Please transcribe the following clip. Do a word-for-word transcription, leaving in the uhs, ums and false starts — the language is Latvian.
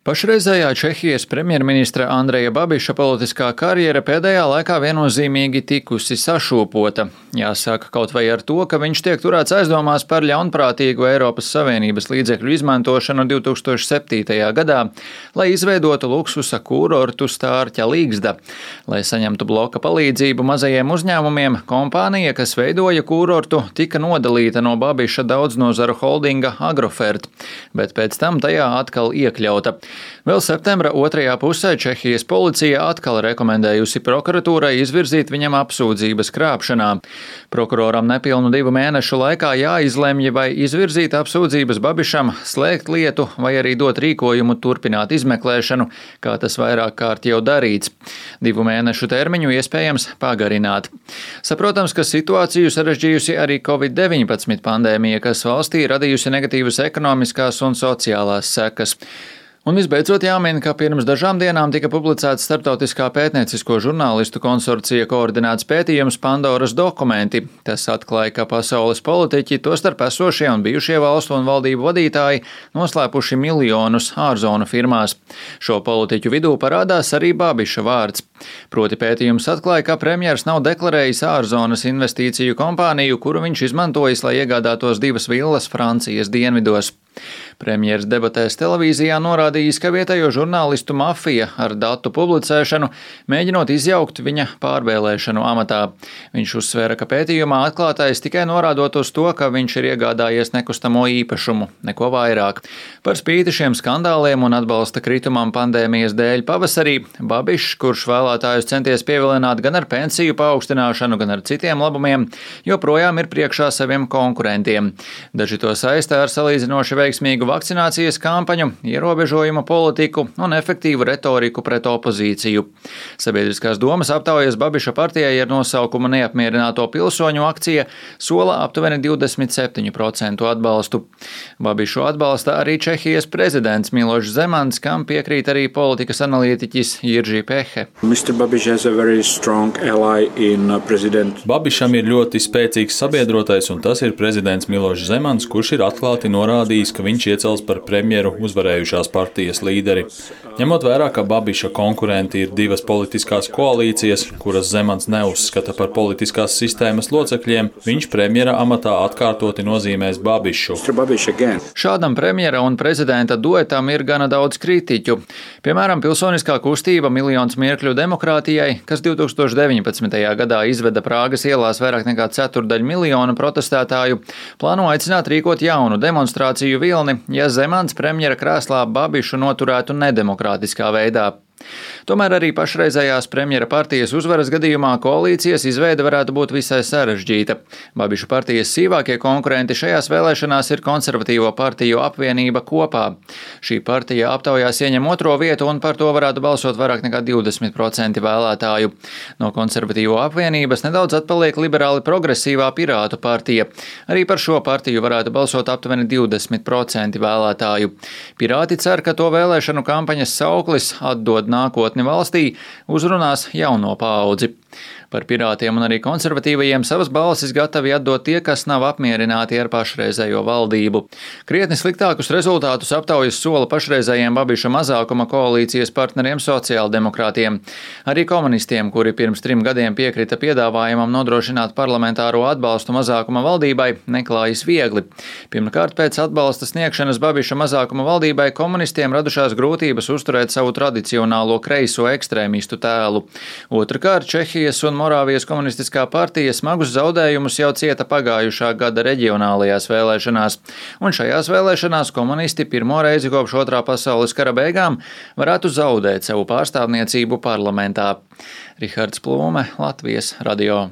Pašreizējā Čehijas premjerministra Andreja Babiša politiskā karjera pēdējā laikā viennozīmīgi tikusi sašūpota. Jāsaka kaut vai ar to, ka viņš tiek turēts aizdomās par ļaunprātīgu Eiropas Savienības līdzekļu izmantošanu divi tūkstoši septītajā gadā, lai izveidotu luksusa kūrortu Stārķa Līgzda. Lai saņemtu bloka palīdzību mazajiem uzņēmumiem, kompānija, kas veidoja kūrortu, tika nodalīta no Babiša daudznozaru holdinga Agrofert, bet pēc tam tajā atkal iekļauta. Vēl septembra otrajā pusē Čehijas policija atkal rekomendējusi prokuratūrai izvirzīt viņam apsūdzības krāpšanā. Prokuroram nepilnu divu mēnešu laikā jāizlemj, vai izvirzīt apsūdzības Babišam, slēgt lietu vai arī dot rīkojumu turpināt izmeklēšanu, kā tas vairāk kārt jau darīts. Divu mēnešu termiņu iespējams pagarināt. Saprotams, ka situāciju sarežģījusi arī covid deviņpadsmit pandēmija, kas valstī radījusi negatīvas ekonomiskās un sociālās sekas. Un visbeidzot jāmin, ka pirms dažām dienām tika publicēts starptautiskā pētniecisko žurnālistu konsorcija koordinēts pētījums Pandoras dokumenti. Tas atklāja, ka pasaules politiķi, tostarp esošie un bijušie valstu un valdību vadītāji, noslēpuši miljonus ārzonu firmās. Šo politiķu vidū parādās arī Babiša vārds. Proti pētījums atklāja, ka premjers nav deklarējis ārzonas investīciju kompāniju, kuru viņš izmantojis, lai iegādātos divas villas Francijas dienvidos. Premjers debatēs televīzijā norādījis, ka vietējo žurnālistu mafija ar datu publicēšanu mēģinot izjaukt viņa pārvēlēšanu amatā. Viņš uzsvēra, ka pētījumā atklātais tikai norādot uz to, ka viņš ir iegādājies nekustamo īpašumu, neko vairāk. Par spīti šiem skandāliem un atbalsta kritumam pandēmijas dēļ pavasarī, Babišs, kurš vēlētājus centies pievilināt gan ar pensiju paaugstināšanu, gan ar citiem labumiem, joprojām ir priekšā saviem konkurentiem. Daži to saistā ar salīdzinoši veiksmīgu vakcinācijas kampaņu, ierobežojumu politiku un efektīvu retoriku pret opozīciju. Sabiedriskās domas aptaujas Babiša partijai ar nosaukumu Neapmierināto pilsoņu akcija sola aptuveni divdesmit septiņu procentu atbalstu. Babišu atbalsta arī Čehijas prezidents Milošs Zemans, kam piekrīt arī politikas analītiķis Jirži Pehe. Babišam ir ļoti spēcīgs sabiedrotais, un tas ir prezidents Milošs Zemans, kurš ir atklāti norādījis, ka viņš iecels par premjeru uzvarējušās partijas līderi. Ņemot vērā, ka Babiša konkurenti ir divas politiskās koalīcijas, kuras Zemans neuzskata par politiskās sistēmas locekļiem, viņš premjera amatā atkārtoti nozīmēs Babišu. Šādam premjera un prezidenta duetam ir gana daudz kritiķu. Piemēram, pilsoniskā kustība Miljons mirkļu demokrātijai, kas divi tūkstoši deviņpadsmitajā gadā izveda Prāgas ielās vairāk nekā ceturdaļu miljonu protestētāju, plāno aicināt rīkot jaunu demonstrāciju vilni, ja Zemans premjera krēslā Babišu noturētu nedemokrātiskā veidā. Tomēr arī pašreizējās premjera partijas uzvaras gadījumā koalīcijas izveide varētu būt visai sarežģīta. Babiša partijas sīvākie konkurenti šajās vēlēšanās ir konservatīvo partiju apvienība Kopā. Šī partija aptaujās ieņem otro vietu un par to varētu balsot vairāk nekā divdesmit procenti vēlētāju. No konservatīvo apvienības nedaudz atpaliek liberāli progresīvā Pirātu partija. Arī par šo partiju varētu balsot aptuveni divdesmit procenti vēlētāju. Pirāti cer, ka to vēlēšanu kampaņas sauklis atdod nākotni valstī uzrunās jauno paudzi. Par pirātiem un arī konservatīvajiem savas balsis gatavi atdot tie, kas nav apmierināti ar pašreizējo valdību. Krietni sliktākus rezultātus aptaujas sola pašreizējiem Babiša mazākuma koalīcijas partneriem sociāldemokrātiem. Arī komunistiem, kuri pirms trim gadiem piekrita piedāvājumam nodrošināt parlamentāro atbalstu mazākuma valdībai, neklājas viegli. Pirmkārt, pēc atbalsta sniegšanas Babiša mazākuma valdībai komunistiem radušās grūtības uzturēt savu tradicionālo kreiso ekstrēmistu tēlu. Otrakārt, Čehijas un Morāvijas komunistiskā partija smagus zaudējumus jau cieta pagājušā gada reģionālajās vēlēšanās, un šajās vēlēšanās komunisti pirmo reizi kopš otrā pasaules kara beigām varētu zaudēt savu pārstāvniecību parlamentā. Rihards Plūme, Latvijas radio.